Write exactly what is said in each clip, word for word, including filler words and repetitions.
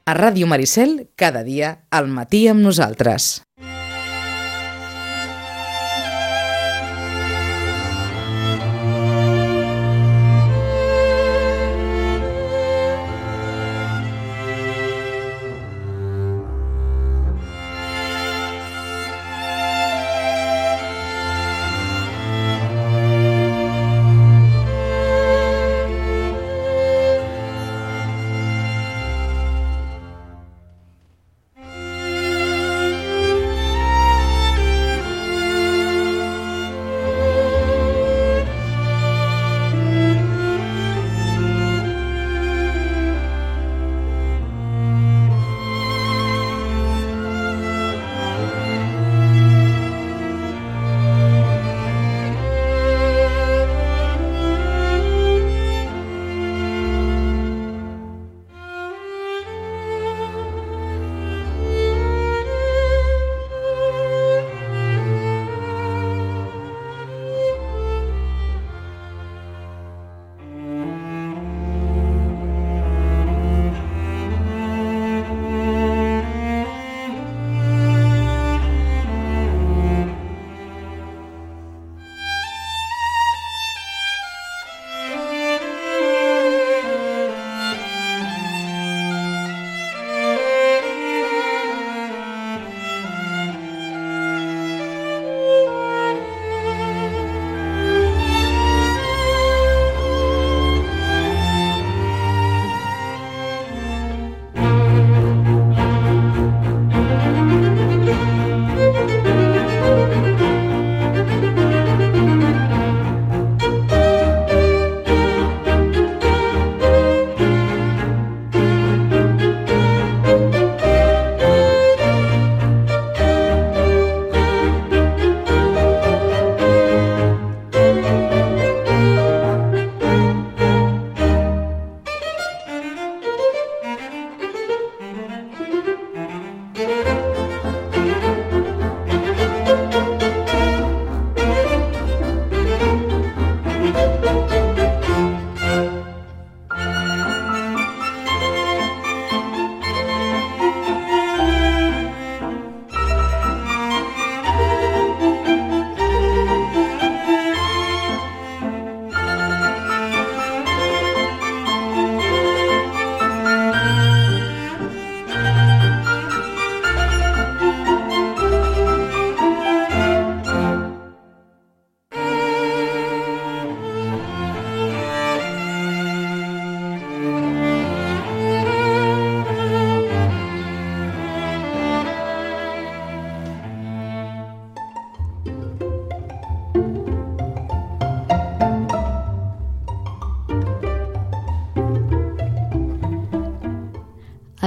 A Ràdio Maricel, cada dia, al matí amb nosaltres.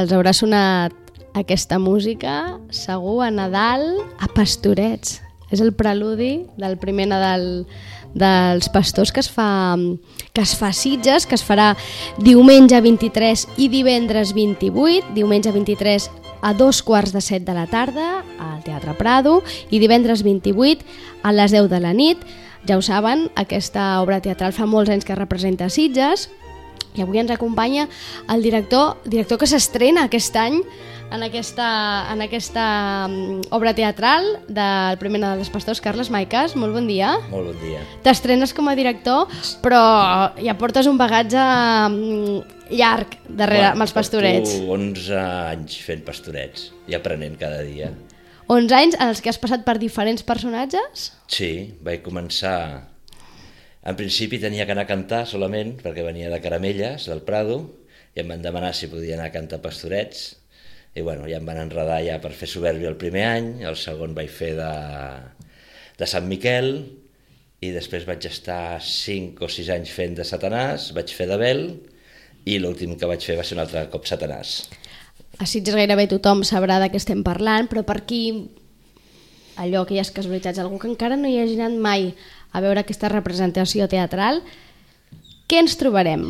Els haurà sonat aquesta música segur a Nadal a Pastorets. És el preludi del primer Nadal dels pastors que es fa, que es fa a Sitges, que es farà diumenge vint-i-tres i divendres vint-i-vuit, diumenge vint-i-tres a dos quarts de set de la tarda al Teatre Prado i divendres vint-i-vuit a les deu de la nit. Ja ho saben, aquesta obra teatral fa molts anys que representa Sitges i avui ens acompanya el director, director que s'estrena aquest any en aquesta, en aquesta obra teatral del primer Nadal dels Pastors, Carles Maicas. Molt bon dia. Molt bon dia. T'estrenes com a director, però ja portes un bagatge llarg darrere bueno, amb els Pastorets. Porto onze anys fent Pastorets i aprenent cada dia. onze anys en els que has passat per diferents personatges? Sí, vaig començar... En principi tenia que anar a cantar solament, perquè venia de Caramelles, del Prado, i em van demanar si podia anar a cantar Pastorets, i bueno, ja em van enredar ja per fer Soberbia el primer any, el segon vaig fer de, de Sant Miquel, i després vaig estar cinc o sis anys fent de Satanàs, vaig fer d'Abel, i l'últim que vaig fer va ser un altre cop Satanàs. A Sitges gairebé tothom sabrà de què estem parlant, però per aquí, allò, aquelles casualitats, algú que encara no hi hagi anat mai a veure aquesta representació teatral, què ens trobarem?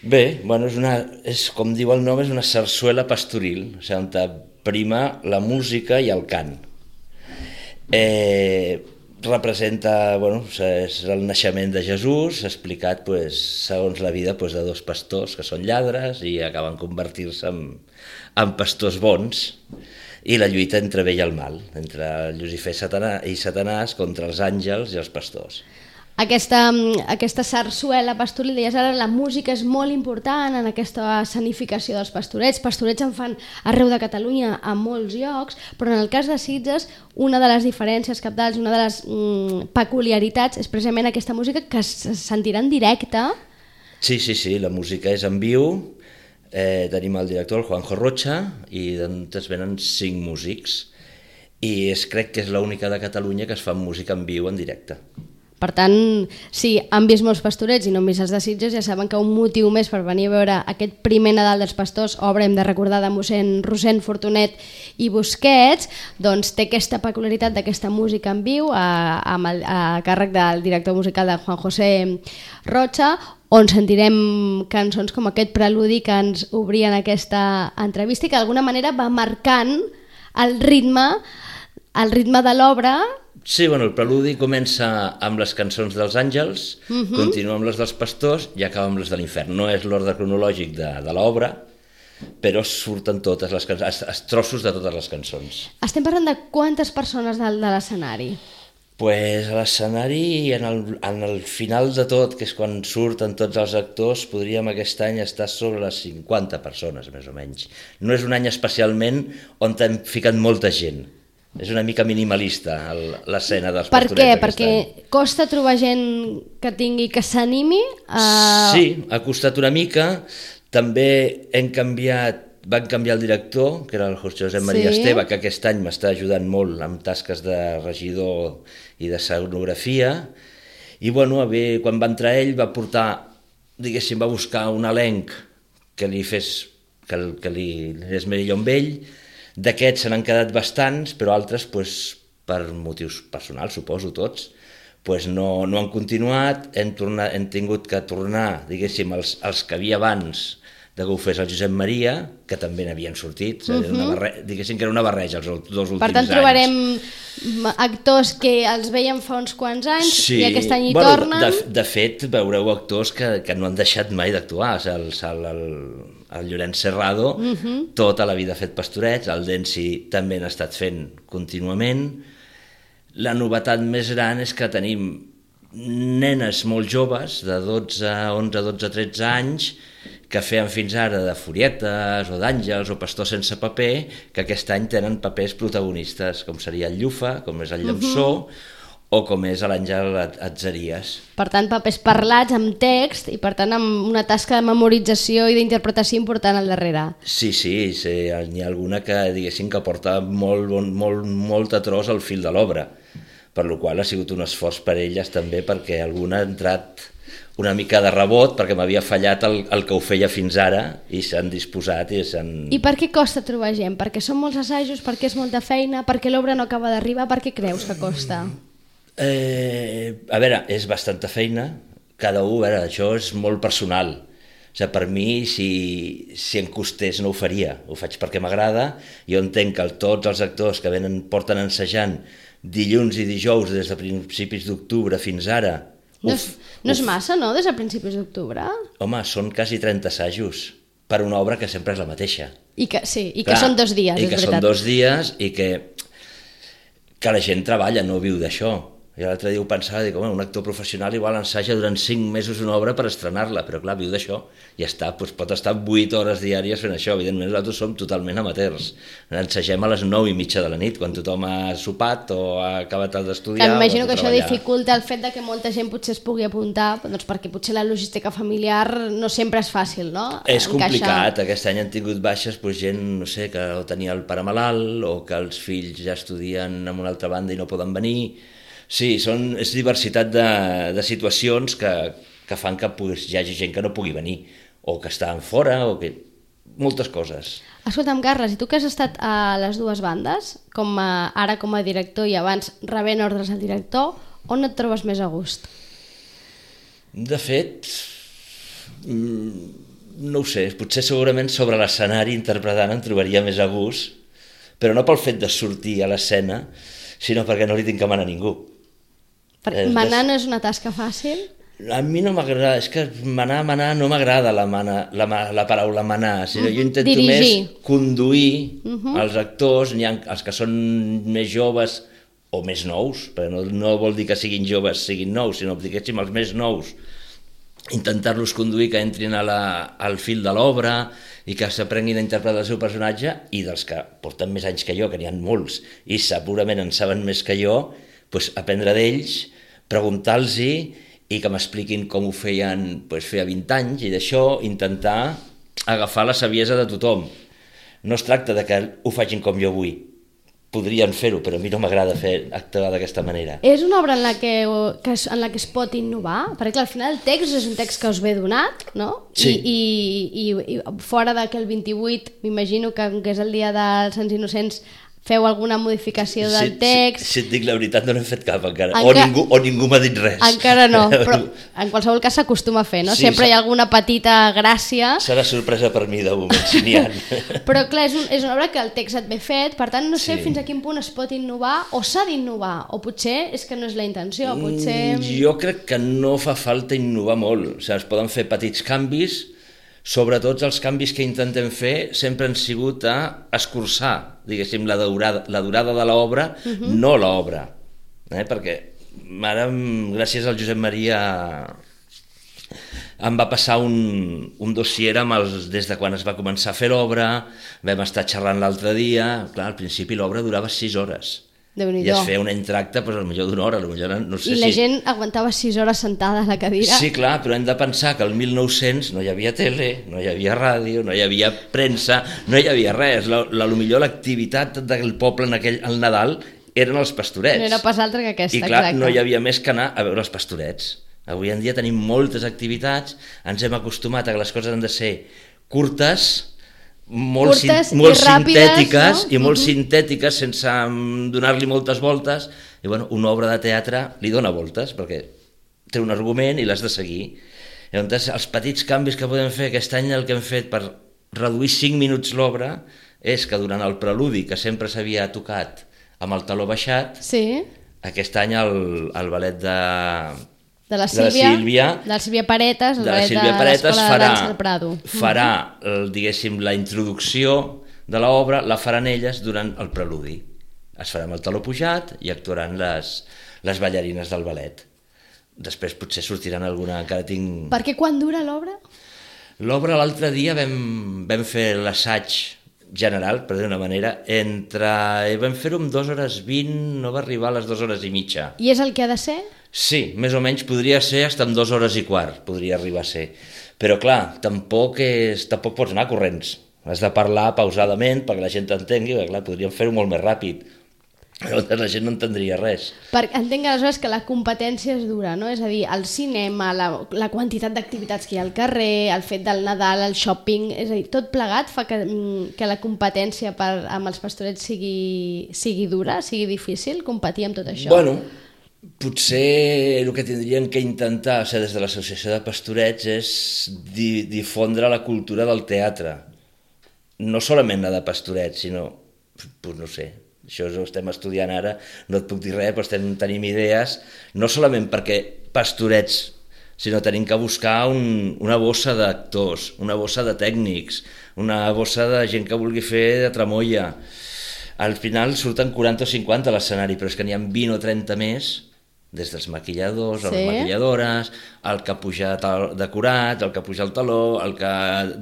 Bé, bueno, és, una, és com diu el nom, és una sarsuela pastoril, o sigui, on prima la música i el cant. Eh, representa, bueno, és el naixement de Jesús, explicat pues, segons la vida pues, de dos pastors que són lladres i acaben convertir-se en, en pastors bons, i la lluita entre bé i el mal, entre Llucifer i Satanàs contra els àngels i els pastors. Aquesta, aquesta sarsuela pastoril, deies ara, la música és molt important en aquesta escenificació dels pastorets. Pastorets en fan arreu de Catalunya a molts llocs, però en el cas de Sitges una de les diferències cabdals, una de les mm, peculiaritats és precisament aquesta música que es sentirà en directe. Sí, sí, sí, la música és en viu, eh, tenim el director, el Juanjo Rocha, i es venen cinc músics, i és, crec que és l'única de Catalunya que es fa música en viu en directe. Per tant, si han vist molts pastorets i no han vist els de Sitges, ja saben que un motiu més per venir a veure aquest primer Nadal dels Pastors, obra, hem de recordar, de mossèn Rossend Fortunet i Busquets, doncs té aquesta peculiaritat d'aquesta música en viu a, a, a càrrec del director musical de Juan José Rocha, on sentirem cançons com aquest preludi que ens obrien aquesta entrevista i que d'alguna manera va marcant el ritme, el ritme de l'obra. Sí, bueno, el preludi comença amb les cançons dels àngels, uh-huh. continua amb les dels pastors i acaba amb les de l'infern. No és l'ordre cronològic de, de l'obra, però surten totes les cançons, els trossos de totes les cançons. Estem parlant de quantes persones de, de l'escenari? Pues a l'escenari, en, el, en el final de tot, que és quan surten tots els actors, podríem aquest any estar sobre les cinquanta persones, més o menys. No és un any especialment on hem ficat molta gent. És una mica minimalista l'escena dels per pastorets. Per què? Perquè any. Costa trobar gent que tingui, que s'animi? A... Sí, ha costat una mica. També hem canviat, van canviar el director, que era el Josep Maria sí. Esteve, que aquest any m'està ajudant molt amb tasques de regidor i de escenografia. I bueno, bé, quan va entrar ell va portar, diguéssim, va buscar un elenc que li fes, que, que li és millor amb ell. D'aquests se n'han quedat bastants, però altres, pues, per motius personals, suposo tots, pues, no, no han continuat, hem, tornat, hem tingut que tornar, diguéssim, els, els que havia abans de que ho fes el Josep Maria, que també n'havien sortit, uh-huh. una barre... diguéssim que era una barreja els dos últims anys. Per tant, trobarem anys. Actors que els veiem fa uns quants anys sí. i aquest any hi bueno, tornen. De, de fet, veureu actors que, que no han deixat mai d'actuar. O sigui, el, el, el Llorenç Serrado, uh-huh. tota la vida ha fet pastorets, el Densi també n'ha estat fent contínuament. La novetat més gran és que tenim nenes molt joves, de dotze, onze, dotze, tretze anys, que feien fins ara de furietes o d'àngels o pastors sense paper, que aquest any tenen papers protagonistes, com seria el Llufa, com és el Llamsó, uh-huh. o com és l'Àngel Atzeries. Per tant, papers parlats amb text i per tant amb una tasca de memorització i d'interpretació important al darrere. Sí, sí, sí, n'hi ha alguna que diguéssim que porta molt, molt, molt a tros el fil de l'obra, per la qual ha sigut un esforç per elles també, perquè alguna ha entrat una mica de rebot perquè m'havia fallat el, el que ho feia fins ara i s'han disposat i s'han... I per què costa trobar gent? Perquè són molts assajos, perquè és molta feina, perquè l'obra no acaba d'arribar, per què creus que costa? Eh, a veure, és bastanta feina, cada un, a veure, això és molt personal. O sigui, per mi, si, si em costés no ho faria, ho faig perquè m'agrada. Jo entenc que tots els actors que venen, porten ensajant dilluns i dijous des de principis d'octubre fins ara. No és, no és massa, no?, des de principis d'octubre? Home, són quasi trenta assajos per una obra que sempre és la mateixa. I que, sí, i Clar, que són dos dies, és veritat. I que són dos dies i que, que la gent treballa, no viu d'això. I l'altre dia ho pensava, dic, home, un actor professional igual ensaja durant cinc mesos una obra per estrenar-la, però clar, viu d'això, i està, doncs pot estar vuit hores diàries fent això. Evidentment nosaltres som totalment amateurs, ensagem a les nou i mitja de la nit, quan tothom ha sopat o ha acabat d'estudiar. M'imagino que això dificulta el fet de que molta gent potser es pugui apuntar, doncs perquè potser la logística familiar no sempre és fàcil, no? És complicat, aquest any han tingut baixes doncs, gent, no sé, que tenia el pare malalt o que els fills ja estudien en una altra banda i no poden venir. Sí, són, és diversitat de, de situacions que, que fan que pues, hi hagi gent que no pugui venir, o que estan fora, o que... moltes coses. Escolta'm, Carles, i tu que has estat a les dues bandes, com a, ara com a director i abans rebent ordres al director, on et trobes més a gust? De fet, no ho sé, potser segurament sobre l'escenari interpretant em trobaria més a gust, però no pel fet de sortir a l'escena, sinó perquè no li tinc que manar a ningú. Perquè manar no és una tasca fàcil? A mi no m'agrada, és que manar, manar, no m'agrada la, mana, la, la paraula manar, sinó jo intento Dirigir. més conduir Uh -huh. els actors, n'hi ha els que són més joves o més nous, perquè no, no vol dir que siguin joves, siguin nous, sinó diguéssim els més nous, intentar-los conduir que entrin a la, al fil de l'obra i que s'aprenguin a interpretar el seu personatge, i dels que porten més anys que jo, que n'hi ha molts, i segurament en saben més que jo, doncs aprendre d'ells, preguntar-los i que m'expliquin com ho feien doncs, feia vint anys, i d'això intentar agafar la saviesa de tothom. No es tracta de que ho facin com jo vull, podrien fer-ho, però a mi no m'agrada fer actuar d'aquesta manera. És una obra en la que, que es, en la que es pot innovar? Perquè clar, al final el text és un text que us ve donat, no? Sí. I, i, i, i fora d'aquell vint-i-vuit, m'imagino que, que és el dia dels Sants Innocents, feu alguna modificació del si, text? Si, si et dic la veritat, no n'he fet cap encara, Enca... o ningú, o ningú m'ha dit res. Encara no, però en qualsevol cas s'acostuma a fer, no? Sí, Sempre hi ha alguna petita gràcia. Serà sorpresa per mi de moment, si n'hi ha. Però clar, és, un, és una obra que el text et ve fet, per tant no sé Sí. fins a quin punt es pot innovar o s'ha d'innovar, o potser és que no és la intenció, potser... Mm, jo crec que no fa falta innovar molt, o sigui, es poden fer petits canvis, sobretot els canvis que intentem fer sempre han sigut a escurçar, diguéssim, la durada, la durada de l'obra, uh -huh. no l'obra, eh? Perquè ara, gràcies al Josep Maria, em va passar un, un dossier amb els, des de quan es va començar a fer l'obra, vam estar xerrant l'altre dia, clar, al principi l'obra durava sis hores, i es feia un entracte doncs, potser d'una hora, potser, no sé I la si... gent aguantava sis hores sentada a la cadira. Sí, clar, però hem de pensar que el mil nou-cents no hi havia tele, no hi havia ràdio, no hi havia premsa, no hi havia res. La, la, potser l'activitat del poble en aquell, al Nadal eren els pastorets. No era pas altra que aquesta, I clar, exacte. no hi havia més que anar a veure els pastorets. Avui en dia tenim moltes activitats, ens hem acostumat a que les coses han de ser curtes, molt, curtes sin, molt i ràpides, sintètiques, no? i molt uh -huh. sintètiques sense donar-li moltes voltes, i bueno, una obra de teatre li dona voltes perquè té un argument i l'has de seguir. Llavors, els petits canvis que podem fer aquest any, el que hem fet per reduir cinc minuts l'obra és que durant el preludi, que sempre s'havia tocat amb el taló baixat, Sí. aquest any el, el ballet de... De la de la Sílvia, Sílvia, de la Sílvia Paretes, el de la ballet Sílvia de Paretes l'Escola de farà, Dansa del Prado. farà el, diguéssim, la introducció de l'obra, la faran elles durant el preludi. Es farà amb el taló pujat i actuaran les, les ballarines del ballet. Després potser sortiran alguna, encara tinc... Perquè quan dura l'obra? L'obra l'altre dia vam, vam fer l'assaig general, per dir una manera, entre... vam fer-ho en dues hores vint, no va arribar a les dues hores i mitja. I és el que ha de ser? Sí, més o menys podria ser fins en dues hores i quart, podria arribar a ser. Però clar, tampoc, és, tampoc pots anar corrents. Has de parlar pausadament perquè la gent t'entengui, perquè clar, podríem fer-ho molt més ràpid. Llavors la gent no entendria res. Perquè entenc aleshores que la competència és dura, no? És a dir, el cinema, la, la quantitat d'activitats que hi ha al carrer, el fet del Nadal, el shopping, és a dir, tot plegat fa que, que la competència per, amb els pastorets sigui, sigui dura, sigui difícil competir amb tot això. Bueno, potser el que tindrien que intentar, o sigui, des de l'Associació de Pastorets, és di difondre la cultura del teatre. No solament la de pastorets, sinó, pues no sé, això ho estem estudiant ara, no et puc dir res, però estem, tenim idees, no solament perquè pastorets, sinó tenim que buscar un, una bossa d'actors, una bossa de tècnics, una bossa de gent que vulgui fer de tramoia. Al final surten quaranta o cinquanta a l'escenari, però és que n'hi ha vint o trenta més, des dels maquilladors, sí. les maquilladores, el que puja decorat, el que puja el taló, el que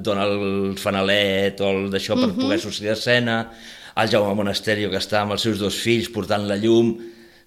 dona el fanalet o el d'això per uh -huh. poder sortir d'escena, el Jaume Monasterio que està amb els seus dos fills portant la llum.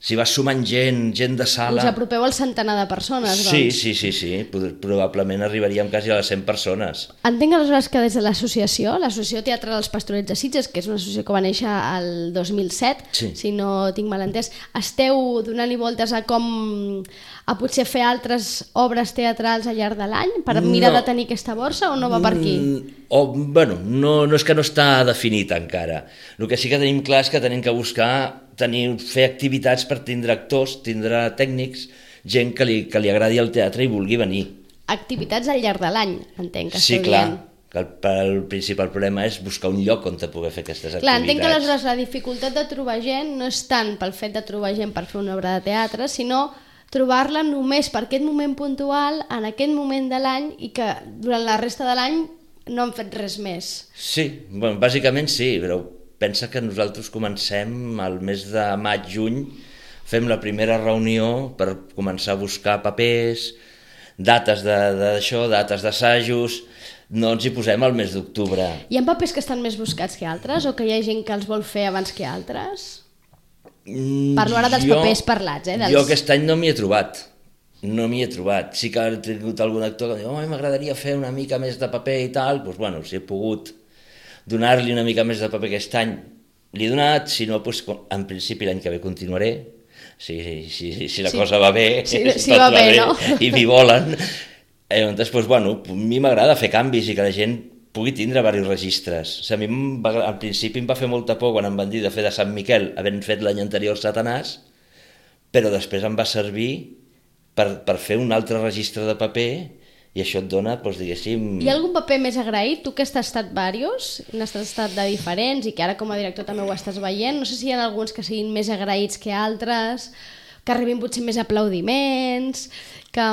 Si vas sumant gent, gent de sala... Us apropeu al centenar de persones, doncs. Sí, sí, sí, sí. Probablement arribaríem quasi a les cent persones. Entenc aleshores que des de l'associació, l'Associació Teatral dels Pastorets de Sitges, que és una associació que va néixer el dos mil set, sí. si no tinc mal entès, esteu donant-hi voltes a com a potser fer altres obres teatrals al llarg de l'any per mirar no. de tenir aquesta borsa o no va per aquí? Mm, o, bueno, no, no és que no està definit encara. El que sí que tenim clar és que tenim que buscar tenir, fer activitats per tindre actors, tindre tècnics, gent que li, que li agradi el teatre i vulgui venir. Activitats al llarg de l'any, entenc que sí, esteu clar, dient. que el, el principal problema és buscar un lloc on te poder fer aquestes clar, activitats. Entenc que aleshores la dificultat de trobar gent no és tant pel fet de trobar gent per fer una obra de teatre, sinó trobar-la només per aquest moment puntual, en aquest moment de l'any, i que durant la resta de l'any no han fet res més. Sí, bueno, bàsicament sí, però pensa que nosaltres comencem al mes de maig-juny, fem la primera reunió per començar a buscar papers, dates d'això, dates d'assajos. No ens hi posem al mes d'octubre. Hi ha papers que estan més buscats que altres o que hi ha gent que els vol fer abans que altres? Mm, Parlo ara dels jo, papers parlats. Eh, dels... Jo aquest any no m'hi he trobat. No m'hi he trobat. Sí que he tingut algun actor que diu oh, m'agradaria fer una mica més de paper i tal. Doncs bueno, si he pogut donar-li una mica més de paper aquest any, li he donat. Si no, doncs, en principi l'any que ve continuaré. Si, si, si la sí. cosa va bé, sí, sí va bé, no? I m'hi volen. Eh, doncs, doncs, bueno, a mi m'agrada fer canvis i que la gent pugui tindre diversos registres. O sigui, a mi va, al principi em va fer molta por quan em van dir de fer de Sant Miquel, havent fet l'any anterior Satanàs, però després em va servir per, per fer un altre registre de paper i això et dona, doncs, diguéssim... Hi ha algun paper més agraït? Tu que has estat diversos, n'has estat de diferents i que ara com a director també ho estàs veient, no sé si hi ha alguns que siguin més agraïts que altres, que arribin potser més aplaudiments, que...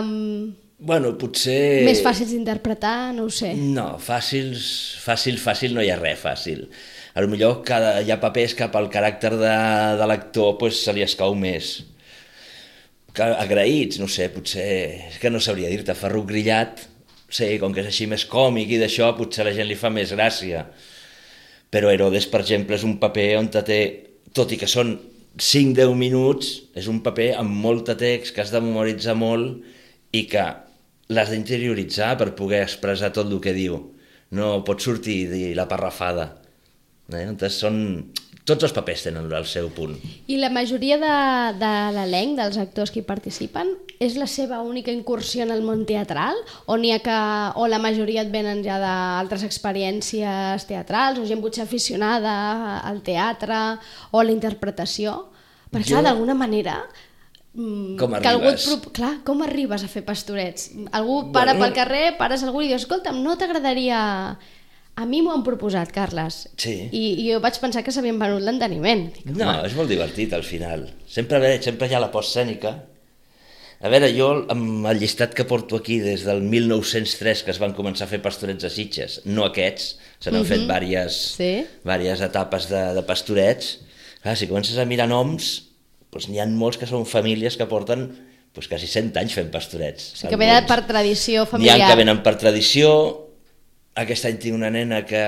Bueno, potser... Més fàcils d'interpretar, no ho sé. No, fàcils, fàcil, fàcil no hi ha res fàcil. A lo millor cada, hi ha papers que pel caràcter de, de l'actor pues, se li escau més. Que, agraïts, no sé, potser... És que no sabria dir-te, Ferruc Grillat, sí, com que és així més còmic i d'això, potser a la gent li fa més gràcia. Però Herodes, per exemple, és un paper on te té, tot i que són cinc a deu minuts, és un paper amb molt de text que has de memoritzar molt i que l'has d'interioritzar per poder expressar tot el que diu. No pot sortir i dir la parrafada. Eh? Entonces són... Tots els papers tenen el seu punt. I la majoria de, de l'elenc, dels actors que hi participen, és la seva única incursió en el món teatral? O n'hi ha que... o la majoria et venen ja d'altres experiències teatrals, o gent potser aficionada al teatre o a la interpretació? Perquè, jo... d'alguna manera... Com que arribes? Algú, clar, com arribes a fer pastorets? Algú para bueno, pel carrer, pares algú i dius, escolta'm, no t'agradaria... A mi m'ho han proposat, Carles, sí. I, i jo vaig pensar que s'havien venut l'enteniment. No, és molt divertit al final. Sempre, veure, sempre hi ha la postescènica. A veure, jo amb el llistat que porto aquí des del mil nou-cents tres que es van començar a fer pastorets a Sitges, no aquests, se n'han uh-huh. fet diverses, sí. diverses etapes de, de pastorets. Clar, si comences a mirar noms, doncs n'hi ha molts que són famílies que porten doncs, quasi cent anys fent pastorets. O sigui, que venen per tradició familiar. N'hi ha que venen per tradició. Aquest any tinc una nena que,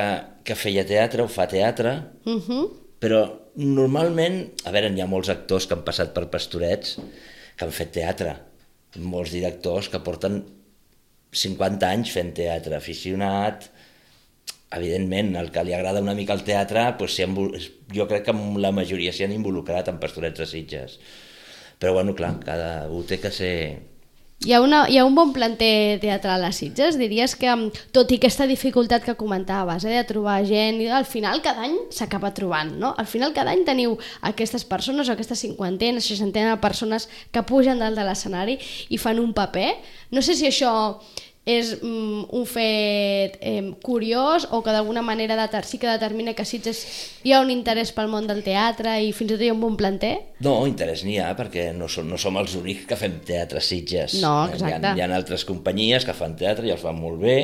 que feia teatre o fa teatre, uh-huh. però normalment, a veure, hi ha molts actors que han passat per pastorets que han fet teatre, molts directors que porten cinquanta anys fent teatre, aficionat, evidentment, el que li agrada una mica el teatre, doncs, jo crec que la majoria s'hi han involucrat en pastorets de Sitges. Però bueno, clar, cada un té que ser... Hi ha, una, hi ha un bon planter teatral a Sitges? Diries que, tot i aquesta dificultat que comentaves, eh, de trobar gent, al final cada any s'acaba trobant, no? Al final cada any teniu aquestes persones, o aquestes cinquantena, seixantena de persones que pugen dalt de l'escenari i fan un paper. No sé si això és mm, un fet eh, curiós o que d'alguna manera deter, sí que determina que a Sitges hi ha un interès pel món del teatre i fins i tot hi ha un bon planter? No, interès n'hi ha, perquè no som, no som els únics que fem teatre a Sitges. No, exacte. Hi ha, hi ha altres companyies que fan teatre i els fan molt bé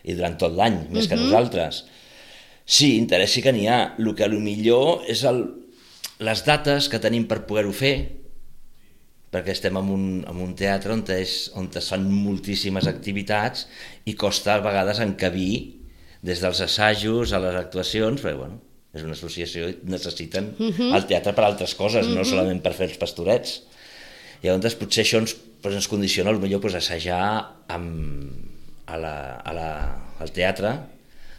i durant tot l'any, més uh-huh. que nosaltres. Sí, interès sí que n'hi ha. El que millor és el, les dates que tenim per poder-ho fer, perquè estem en un, en un teatre on, és, on es fan moltíssimes activitats i costa a vegades encabir des dels assajos a les actuacions, perquè bueno, és una associació i necessiten uh-huh. el teatre per altres coses, uh-huh. no solament per fer els pastorets. I llavors potser això ens, pues, ens condiciona potser pues, assajar amb, a la, a la, al teatre,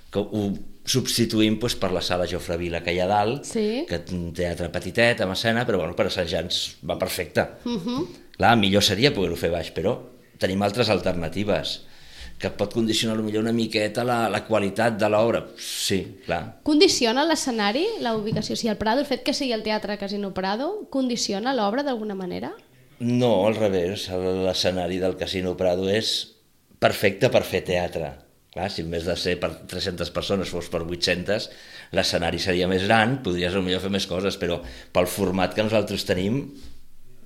que ho substituïm pues, per la sala Jofre Vila que hi ha dalt, sí. que és un teatre petitet, amb escena, però bueno, per assajar ens va perfecte. Uh-huh. Clar, millor seria poder-ho fer baix, però tenim altres alternatives, que pot condicionar millor una miqueta la, la qualitat de l'obra. Sí, clar. Condiciona l'escenari, la ubicació? Si el Prado, el fet que sigui el Teatre Casino Prado, condiciona l'obra d'alguna manera? No, al revés. L'escenari del Casino Prado és perfecte per fer teatre. Clar, si en vez de ser per tres-centes persones fos per vuit-centes, l'escenari seria més gran, podries potser fer més coses, però pel format que nosaltres tenim,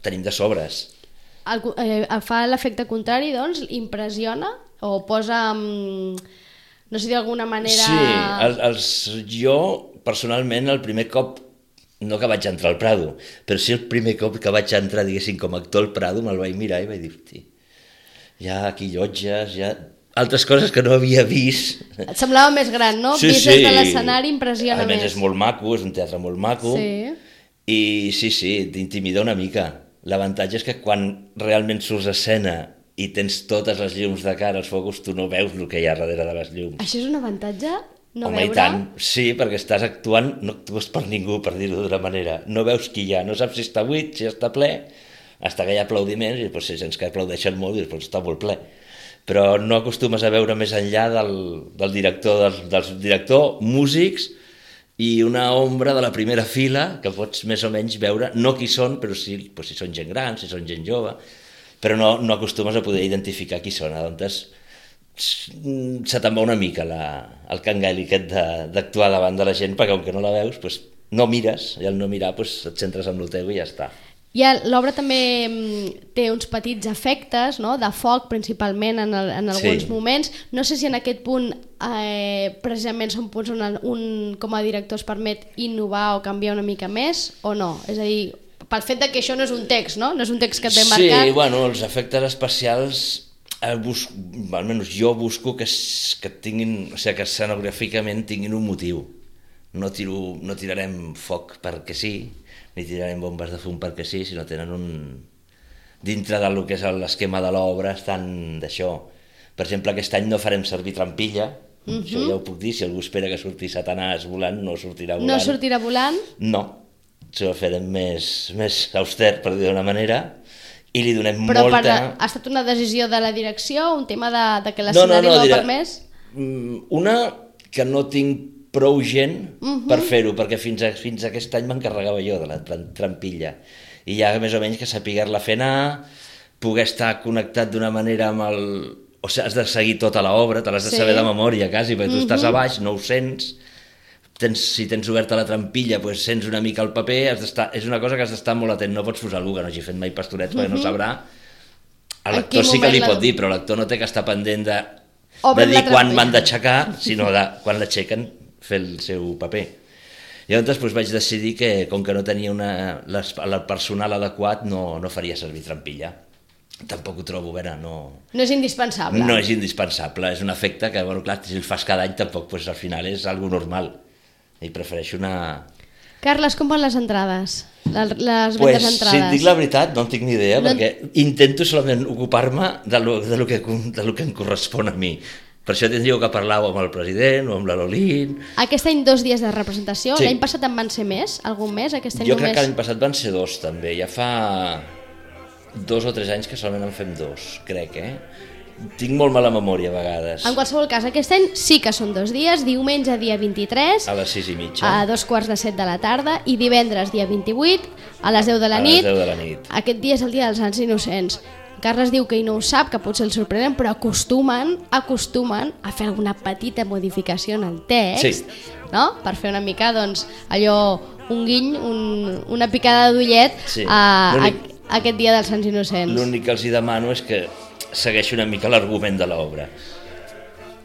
tenim de sobres. el, eh, fa l'efecte contrari, doncs, impressiona o posa, no sé, d'alguna manera... Sí, els, els, jo personalment el primer cop, no que vaig entrar al Prado, però sí el primer cop que vaig entrar, diguéssim, com a actor al Prado, me'l vaig mirar i vaig dir, hosti, hi ha aquí llotges, hi ha altres coses que no havia vist. Et semblava més gran, no? Sí, Vist sí. des de l'escenari impressiona més. A més més. és molt maco, és un teatre molt maco. Sí. I sí, sí, t'intimida una mica. L'avantatge és que quan realment surts a escena i tens totes les llums de cara, els focus, tu no veus el que hi ha darrere de les llums. Això és un avantatge? No Home, veure? i tant, sí, perquè estàs actuant, no actues per ningú, per dir-ho d'una manera. No veus qui hi ha, no saps si està buit, si està ple, fins que hi ha aplaudiments, i doncs, si sents que aplaudeixen molt, doncs està molt ple. Però no acostumes a veure més enllà del, del director, del, del director, músics i una ombra de la primera fila que pots més o menys veure, no qui són, però sí, doncs, si són gent gran, si són gent jove, però no, no acostumes a poder identificar qui són. Doncs se te'n va una mica la, el cangali aquest d'actuar davant de la gent, perquè com que no la veus, doncs no mires, i al no mirar doncs et centres en el teu i ja està. L'obra també té uns petits efectes, no? De foc principalment en, el, en alguns sí. moments. No sé si en aquest punt eh, precisament són punts on un com a director es permet innovar o canviar una mica més o no? És a dir, pel fet de que això no és un text, no? No és un text que et ve marcat. Sí, bueno, els efectes especials, eh, busco, almenys jo busco que, que tinguin, o sigui, que escenogràficament tinguin un motiu. No, tiro, no tirarem foc perquè sí, ni tirarem bombes de fum perquè sí, sinó tenen un... Dintre del que és l'esquema de l'obra estan d'això. Per exemple, aquest any no farem servir trampilla, uh-huh. Això ja ho puc dir, si algú espera que surti Satanàs volant, no sortirà volant. No sortirà volant? No, això ho farem més, més auster, per dir d'una manera, i li donem Però molta... Però ha estat una decisió de la direcció, un tema de, de que l'escenari no, no, no, no ha permès? Una, que no tinc prou gent uh-huh. per fer-ho, perquè fins, a, fins a aquest any m'encarregava jo de la trampilla. I ja més o menys que saber-la fer anar, poder estar connectat d'una manera amb el... O sigui, has de seguir tota l'obra, te l'has de sí. saber de memòria quasi, perquè tu uh-huh. estàs a baix, no ho sents, tens, si tens oberta la trampilla, doncs sents una mica el paper, has és una cosa que has d'estar molt atent, no pots posar algú que no hagi fet mai pastorets, uh-huh. perquè no sabrà. A l'actor sí que li la... pot dir, però l'actor no té que estar pendent de, de dir quan m'han d'aixecar, sinó de quan l'aixequen, fer el seu paper. I llavors doncs, vaig decidir que, com que no tenia una, les, el personal adequat, no, no faria servir trampilla. Tampoc ho trobo, vera, no... No és indispensable. No és indispensable, és un efecte que, bueno, clar, si el fas cada any, tampoc, doncs, al final és algo normal. I prefereixo una... Carles, com van les entrades? Les, les pues, vendes entrades? Si et dic la veritat, no en tinc ni idea, no... perquè intento solament ocupar-me de lo, de, lo que, de lo que em correspon a mi. Per això tindríeu que parlar amb el president o amb la Lolín. Aquest any dos dies de representació, sí. L'any passat en van ser més? Algun més? Aquest any jo crec només... que l'any passat van ser dos també, ja fa dos o tres anys que solament en fem dos, crec, eh? Tinc molt mala memòria a vegades. En qualsevol cas, aquest any sí que són dos dies, diumenge dia vint-i-tres, a les sis i mitja, a dos quarts de set de la tarda, i divendres dia vint-i-vuit, a les deu de la nit. A les deu de la nit. Aquest dia és el dia dels Sants Innocents. Carles diu que ell no ho sap, que potser el sorprenen, però acostumen, acostumen a fer alguna petita modificació en el text, sí. No? Per fer una mica, doncs, allò, un guiny, un, una picada d'ullet sí. a, a, a aquest dia dels Sants Innocents. L'únic que els hi demano és que segueixi una mica l'argument de l'obra.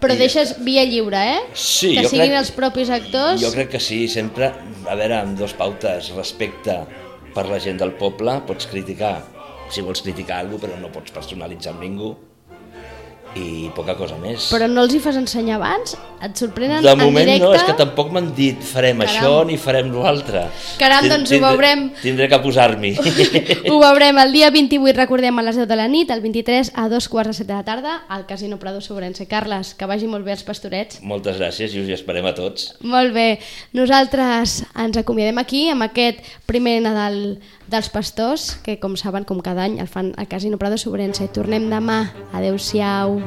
Però I... deixes via lliure, eh? Sí, que jo siguin crec, els propis actors. Jo crec que sí, sempre, a veure, amb dos pautes, respecte per la gent del poble, pots criticar, si vols criticar alguna cosa, però no pots personalitzar amb ningú, i poca cosa més. Però no els hi fas ensenyar abans? Et sorprenen de en moment directe? No, és que tampoc m'han dit farem Caram. Això ni farem l'altre. Caram, doncs tindré, ho veurem. Tindré que posar-m'hi. Ho veurem el dia vint-i-vuit, recordem, a les deu de la nit, el vint-i-tres a dos quarts de set de la tarda, al Casino Prado Sobrense. Carles, que vagi molt bé els pastorets. Moltes gràcies i us hi esperem a tots. Molt bé. Nosaltres ens acomiadem aquí amb aquest primer Nadal dels pastors, que com saben, com cada any el fan al Casino Prado Sobrense. Tornem demà. Adéu-siau.